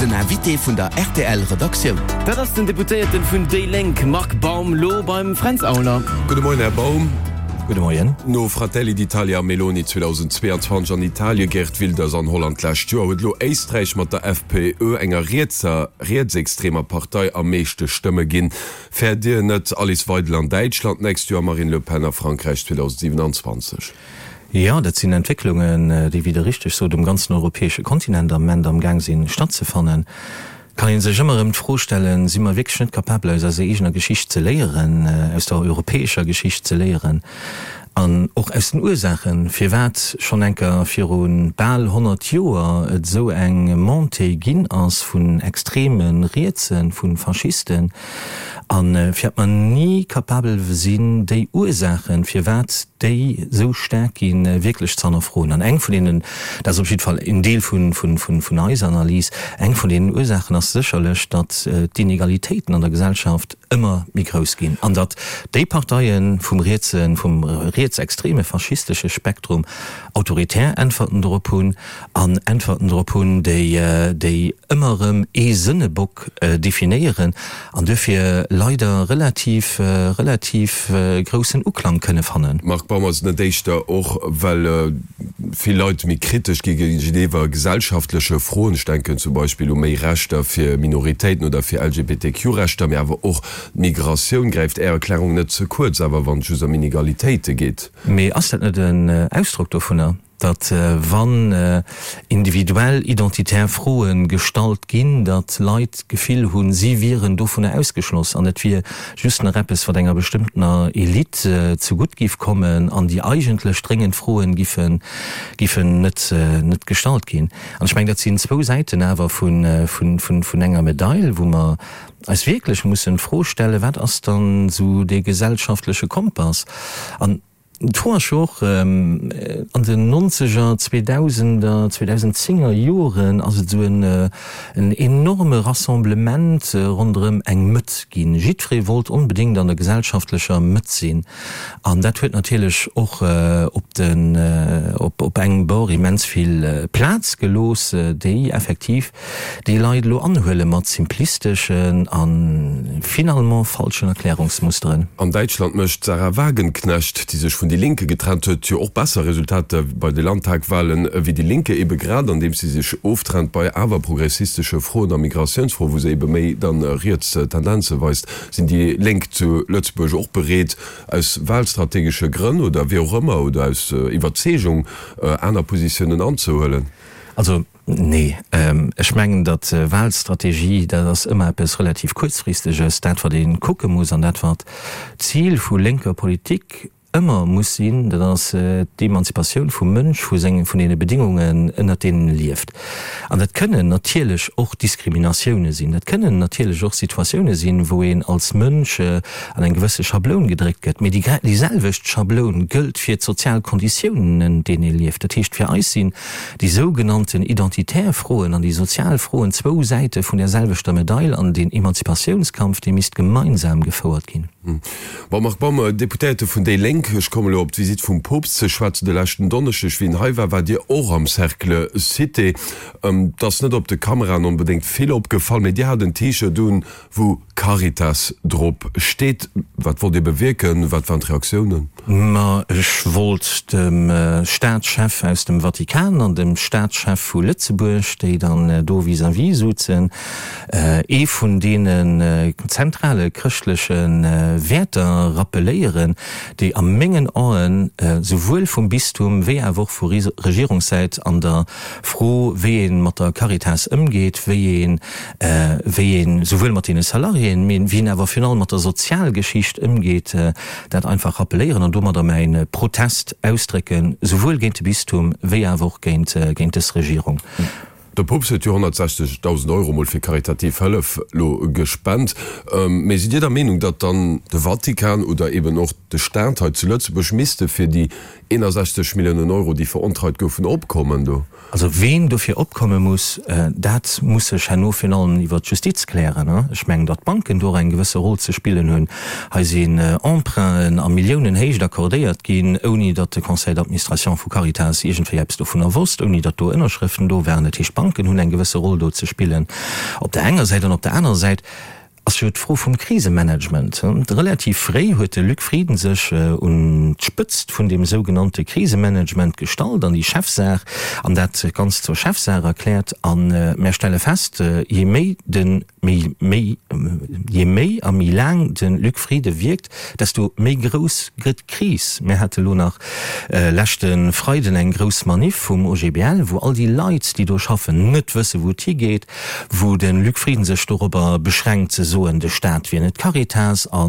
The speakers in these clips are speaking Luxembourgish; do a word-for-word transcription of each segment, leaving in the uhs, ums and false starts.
Den Invité vun der R T L Redaktioun. Dat ass den Deputéierten vun déi Lénk Marc Baum lo beim Fränz Aulner. Gudde Moien, Här Baum. Gudde Moien. No Fratelli d'Italia a Meloni zweedausendzweeanzwanzeg an Italien, Geert Wilders an Holland d'lescht Joer, huet elo Éisträich mat der F P Ö, enger rietser, rietsextremer Partei, am meeschte Stëmme ginn. Fäert Dir net Alice Weidel an Däitschland d'nächst Joer, Marine Le Pen a Frankräich zweedausendsiewenanzwanzeg? Jo, dat sinn Entwécklungen, déi, wéi Der richteg sot, um ganzen europäesche Kontinent am Moment am Gaang sinn stattzefannen. Kann ee sech ëmmer erëm d'Fro stellen, Si mer wierklech net capabel, aus eiser eegener Geschicht ze léieren, aus der europäescher Geschicht ze léieren an och aus den Ursaachen, firwat schonn eng Kéier viru bal honnert Joer et esou eng Montée ginn ass vun extreme Rietsen, vu Faschisten, a firwat mer ni capabel sinn, déi Ursaachen, firwat déi esou staark ginn, wierklech ze hannerfroen? An eng vun deenen, dat ass op jidde Fall en Deel vun, vun, vun, vun eiser Analys, eng vun deenen Ursaachen ass sécherlech, datt d'Inegalitéiten an der Gesellschaft ëmmer méi grouss ginn an datt déi Parteie vum rietsen, vum rietsextreme faschistesche Spektrum autoritär Äntwerten dorop hunn an Äntwerten dorop hunn, déi, déi ëmmer erëm ee Sënnebock definéieren an duerfir leider relativ, relativ groussen Uklang kënne fannen. Marc Baum, Ass et net éischter och, well vill Leit méi kritesch gi géigeniwwer gesellschaftleche Froen, ech denken zum Beispill u méi Rechter fir Minoritéiten oder fir L G B T Q Rechter, mee awer och d'Migratioun, gräift Är Erklärung net ze kuerz, awer wann et just ëm Inegalitéite geet? Mee ass dat net en Ausdrock dovunner, datt wann individuell identitär Froe gestallt ginn, datt Leit d'Gefill hunn, si wieren dovunner ausgeschloss an et wier just nach eppes, wat enger bestëmmtener Elite zegutt giff kommen an déi eigentlech dréngend Froen giffen giffen net net gestallt ginn? An ech mengen, dat sinn zwou Säiten awer vun vun vun vun enger Medail, wou mer eis wierklech mussen d'Fro stellen, wat ass dann esou dee gesellschaftleche Kompass? An d'Fro ass jo och, an den Nonzeger, Zweedausender, Zweedausendzénger Joren ass et esou en en enorme Rassemblement ronderëm eng Mëtt ginn. Jiddweree wollt onbedéngt an der gesellschaftlecher Mëtt sinn. An dat huet natierlech och op den op op engem Bord immens vill Plaz gelooss, déi effektiv déi Leit elo anhuele mat simplisteschen a finalement falschen Erklärungsmusteren. An Däitschland mécht d'Sahra Wagenknecht, déi sech vun Die Linke getrennt huet, jo och besser Resultater bei de Landtagwahlen ewéi Die Linke, ebe grad andeems si sech oftrennt bei awer progressistesche Froen a Migratiounsfroen, wou se ebe méi dann riets Tendenze weist. Sinn déi Lénk zu Lëtzebuerg och bereet, aus wahlstrategesche Grënn oder wéi och ëmmer oder aus Iwwerzeegung aner Positiounen anzehuelen? Also nee, ech mengen, datt Wahlstrategie, dat ass ëmmer eppes relativ Kuerzfristeges. Dat wat ee kucke muss an dat wat d'Zil vu lénker Politik ëmmer muss sinn, dat ass d'Emanzipatioun vum Mënsch vu sengen, vun deene Bedingungen, ënnert deenen e lieft. An dat kënnen natierlech och Diskriminatioune sinn, dat kënnen natierlech och Situatioune sinn, wou een als Mënsch an eng gewësse Schabloun gedréckt gëtt. Mee déi déi selwecht Schabloun gëllt fir d'sozial Konditiounen, ënnert deenen ee lieft. Dat heescht, fir eis sinn déi sougenannten identitär Froen an déi sozial Froen zwou Säite vun där selwechter Medail an deen Emanzipatiounskampf, dee misst gemeinsam gefouert ginn. Bon, Marc Baum, Deputéierte vun déi Lénk, ech kommen elo op d'Visitt vum Poopst ze schwätzen. De leschten Donneschdeg, wéi en hei war, waart Dir och am Cercle Cité. Et ass net op de Kameraen onbedéngt vill opgefall, mee Dir hat en T-Shirt un, wou Caritas drop steet. Wat wollt Dir bewierken? Wat waren d'Reaktiounen? Ma ech wollt dem Staatschef aus dem Vatikan an dem Staatschef vu Lëtzebuerg, déi dann do vis-à-vis souzen, ee vun deenen zentrale chrëschtleche Wäerter rappeléieren, déi a mengen Aen souwuel vum Bistum wéi awer och vu Regierungssäit an der Fro, wéi ee mat der Caritas ëmgeet, wéi een, wéi een souwuel mat deene Salariéen, mee wéi een awer virun allem mat der Sozialgeschicht ëmgeet, dat einfach rappeléieren an domadder mäi Protest ausdrécken, souwuel géint de Bistum wéi awer och géint, géint dës Regierung. De Poopst huet jo honnertsechzegdausend Euro mol fir karitativ Hëllef lo gespent. Mee sidd Dir der Meenung, datt dann de Vatikan oder eben och de Staat hei zu Lëtzebuerg misste fir déi eenundsechzeg Milliounen Euro, déi verontreit goufen, opkommen do? Also ween dofir opkomme muss, dat muss sech herno virun allem iwwert d'Justiz klären. Ech mengen, datt d'Banken do och eng gewësse Roll ze spillen hunn. Hei sinn Emprunten a Milliounenhéicht accordéiert ginn, ouni datt de Conseil d'administration vu Caritas iergendwéi eppes dovunner wosst, ouni datt do Ënnerschrëften do waren. Dat heescht, d'Banken hunn eng gewësse Roll do ze spillen op der enger Säit an op der anerer Säit ass jo d'Fro vum Krisemanagement. Relativ fréi huet de Luc Frieden sech un d'Spëtzt vun deem sougenannte Krisemanagement gestallt an déi Chefsaach an dat Ganzt zur Chefsaach erkläert. A mär stelle fest, je méi de méi méi je méi a méi laang de Luc Frieden wierkt, desto méi grouss gëtt d'Kris. Mär hate lo nach leschte Freiden eng grouss Maniff vum O G B L, wou all déi Leit, déi do schaffen, net wësse wou et higeet, wou de Luc Frieden sech dorobber beschränkt ze soen, de Staat wier net d'Caritas a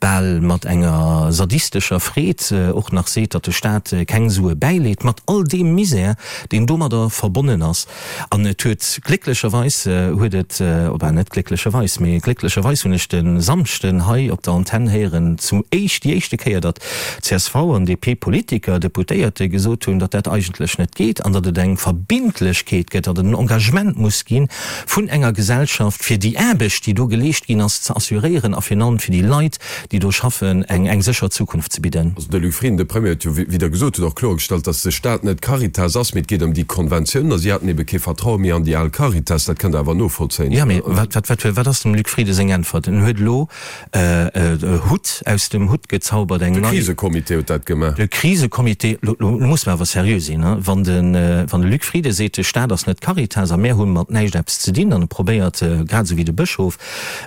bal mat enger sadistescher Freed och nach seet, datt de Staat keng Sue bäileet, mat all deem Misär, deen domadder verbonnen ass. An et huet glécklecherweis huet et, oder net glécklecherweis, mee glécklecherweis hunn ech de Samschden hei op der Antenn héieren, zum éischt, déi éischte Kéier, datt C S V an D P-Politiker, Deputéierte gesot hunn, datt dat eigentlech net geet an datt et eng Verbindlechkeet gëtt, datt et en Engagement muss gi vun enger Gesellschaft, fir déi Aarbecht, déi do geleescht ginn ass, ze assuréieren a virun allem fir déi Leit, déi do schaffen, eng eng sécher Zukunft ze bidden. Also de Luc Frieden, de Premier, huet jo wieder gesot, huet och kloergestallt, datt de Staat net d'Caritas ass, mee et geet ëm déi Konventiounen a si haten ebe kee Vertraue méi an déi al Caritas. Dat kënnt Der awer novollzéien. Jo, mee wat, wat, wat, wat ass dem Luc Frieden seng Äntwert? En huet elo e Hutt aus dem Hutt gezaubert, eng nei. De Krisecomité huet dat gemaach. De Krisecomité, lo, lo musse mer awer seriö sinn, wann de, wann de Luc Frieden seet, de Staat ass net d'Caritas a mär hu mat näischt eppes ze dinn, an e probéiert, grad esou wéi de Bëschof,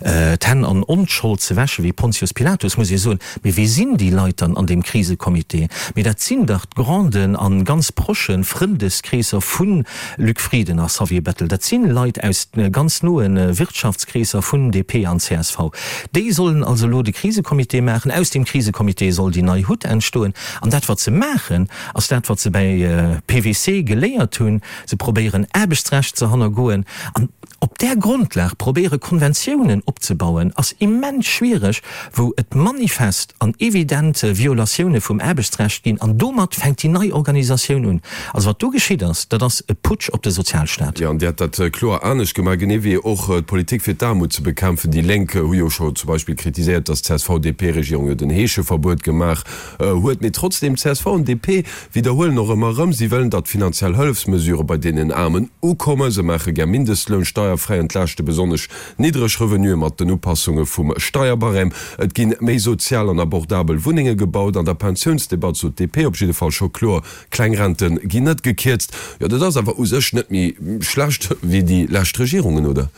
d'Hänn an Onschold ze wäschen, wéi Pontius Pilatus, muss ee soen, mee wie sinn déi Leit dann an deem Krisecomité? Mee dat sinn dach d'Granden a ganz proche Frëndeskreesser vu Luc Frieden a Xavier Bettel. Dat si Leit aus ganz noe Wirtschaftskreesser vun D P an C S V. Déi sollen also elo de Krisecomité maachen. Aus deem Krisecomité soll déi nei Hutt entstoen. An dat, wat se maachen, ass dat, wat se bäi P W C geléiert hunn, Se probéieren, Aarbechtsrecht ze hannergoen. An op där Grondlag probéiere Konventiounen opzebauen, ass immens schwiereg, wou et manifest an evident Violatioune vum Aarbechtsrecht ginn. An domat fänkt déi nei Organisatioun un. Also wat do geschitt ass, dat ass e Putsch op de Sozialstaat. Jo, an Dir hätt dat kloer anescht gemaach, genee wéi och d'Politik fir d'Aarmut ze bekämpfen. Déi Lénk hu jo scho zum Beispill kritiséiert, datt d'C S V-D P-Regierung jo den Heescheverbuet gemaach huet. Mee trotzdeem, C S V an D P widderhuelen och ëmmer erëm, si wëllen, datt finanziell Hëllefsmesurë bei deenen Aarmen ukommen. Se maache gär Mindestloun, steierfräi, entlaaschte besonnesch niddreg Revenue mat den Upassunge vum Steierbarème. Et ginn méi sozial an abordabel Wunnenge gebaut. An der Pensiounsdebatt sot d'D P op jidde Fall scho kloer, Kleng Rente ginn net gekierzt. Jo, dat ass awer u sech net méi schlecht wéi déi lescht Regierungen, oder?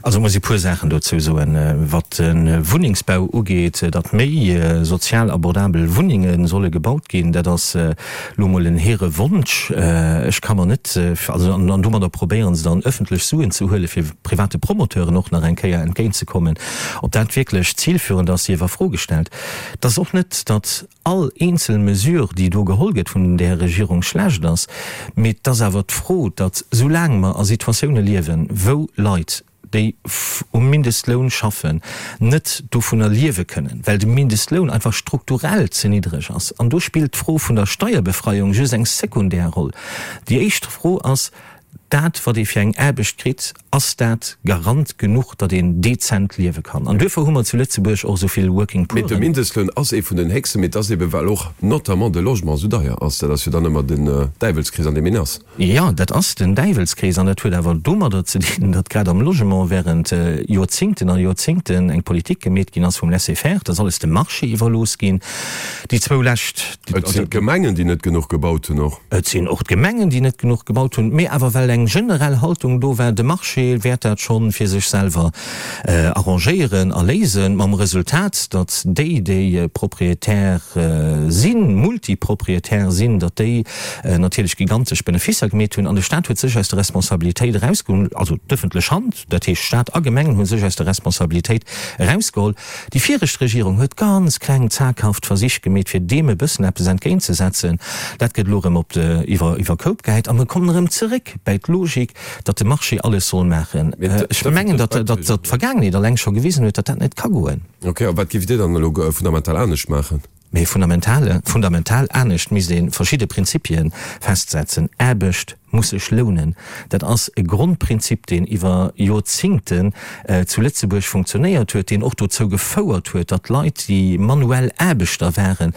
Also muss ee puer Saachen dozou soen. Wat de Wunnengsbau ugeet, datt méi sozial abordabel Wunnenge solle gebaut ginn, dat ass elo emol en hehre Wonsch. Ech ka mer net, also an domadder probéiere se dann ëffentlech Suen ze huele fir private Promoteuren och nach eng Kéier entgéintzekommen. Ob dat wierklech zilführend ass, sief a Fro gestellt. Et ass och net, datt all eenzel Mesure, déi do geholl gëtt vun där Regierung, schlecht ass, mee et ass awer d'Fro, datt soulaang mer a Situatioune liewen, wou Leit, déi um Mindestloun schaffen, net dovunner liewe kënnen, well de Mindestloun einfach strukturell ze niddreg ass. An do spillt d'Fro vun der Steierbefreiung just eng sekundär Roll. Déi éischt Fro ass, Dat, wat ee fir eng Aarbecht kritt, ass dat Garant genuch, datt een dezent liewe kann? An duerfir hu mer zu Lëtzebuerg och esou vill Working Mee de Pooren. Mindestloun ass ee vun den héchsten, mee et ass ebe well och notamment de Logement esou deier ass. Dat ass jo dann ëmmer den Däiwelskrees, an deem een ass. Jo, dat ass den Däiwelskrees an dat huet awer domadder ze dinn, datt grad am Logement während Joerzingten a Joerzingten eng Politik gemeet ginn ass vum Laisser-faire, et ass alles dem Marché iwwerlooss ginn. Déi zwou lescht. Et sinn d'Gemengen, déi net genuch gebaut hunn och. Et sinn och d'Gemengen, déi net genuch gebaut hunn, mee awer well eng generell Haltung do war, de Marché wäert dat schonn fir sech selwer arrangéieren a léisen, mam Resultat, datt déi, déi Propriétaire sinn, Multipropriétaire sinn, datt déi natierlech gigantesch Benefisser gemeet hunn an de Staat huet sech aus der Responsabilitéit erausgeholl, also d'ëffentlech Hand, dat heescht Staat a Gemengen hu sech aus der Responsabilitéit erausgeholl. Déi viregt Regierung huet ganz kleng zaghaft Versich gemeet, fir deem e bëssen eppes entgéintzesetzen. Dat gëtt elo erëm op de iwwer iwwer Koup gehäit a mir kommen erëm zeréck bäi d'Logik, datt de Marché alles soll maachen. Ech mengen, datt datt d'Vergaangenheet alleng scho gewisen huet, datt dat net ka goen. Ok, a wat géift Dir dann elo fundamental anescht maachen? Mee fundamentale fundamental anescht misst ee verschidde Prinzipie festsetzen. Aarbecht muss sech lounen. Dat ass e Grondprinzip, deen iwwer Joerzingten zu Lëtzebuerg funktionéiert huet, deen och dozou gefouert huet, datt Leit, déi manuell Aarbechter waren,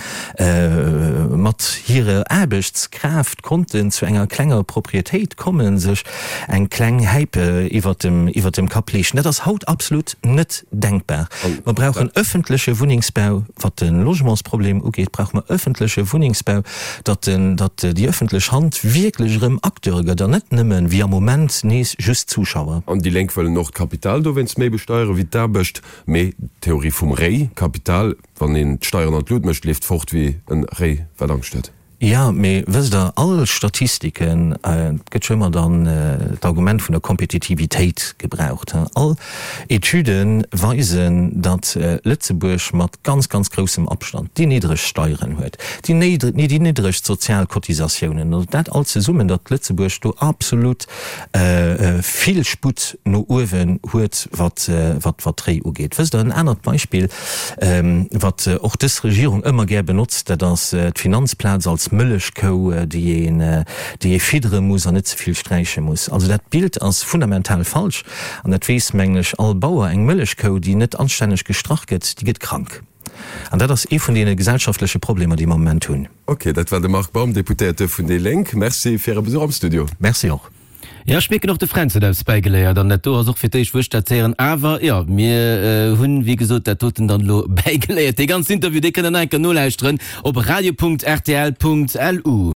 mat hirer Aarbechtskraaft konnten zu enger klenger Proprietéit kommen, sech eng kleng Häip iwwert dem, iwwert dem Kapp leeschten. Dat ass haut absolut net denkbar. Mer brauchen öffentleche Wunnengsbau. Wat de Logementsproblem ugeet, brauche mer öffentleche Wunnengsbau, datt den, datt déi öffentlech Hand wierklech erëm Acteur gëtt an net nëmmen, wéi am Moment, nees just Zuschauer. An déi Lénk wëllen och d'Kapital dowéinst méi besteiere wéi d'Aarbecht. Mee d'Theorie vum Réi, Kapital, wann een d'Steieren an d'Lut mécht, leeft fort wéi e Réi wat Angscht huet. Jo, mee wësst Der, all Statistiken, et gëtt jo ëmmer dann d'Argument vun der Kompetitivitéit gebraucht, all Etüde weisen, datt Lëtzebuerg mat ganz, ganz groussem Abstand déi niddregst Steieren huet, déi niddregst sozial Cotisatiounen, also dat all zesummen, datt Lëtzebuerg do absolut vill Sputt no uewen huet, wat d'Réi ugeet. Wësst Der, en anert Beispill, wat och dës Regierung ëmmer gär benotzt, dat ass d'Finanzplaz als Mëllechkou, déi een, déi ee fiddere muss an net ze vill sträiche muss. Also dat Bild ass fundamental falsch an dat weess, mengen ech, all Bauer, Eng Mëllechkou, déi net anstänneg gestrach gëtt, déi gëtt krank. An dat ass ee vun deene gesellschaftleche Problemer, déi mer am Moment hunn. Ok, dat war de Marc Baum, Deputéierte vun déi Lénk. Merci fir Äre Besuch am Studio. Merci och. Jo, ech mierken och de Fränz huet eppes bäigeléiert an dat do ass och fir d'éischt wou ech dat héieren. Awer jo, mir hunn wéi gesot dat doten dann elo bäigeléiert. Dee ganzen Interview, dee kënnt der nach eng Kéier nolauschteren op radio.rtl.lu.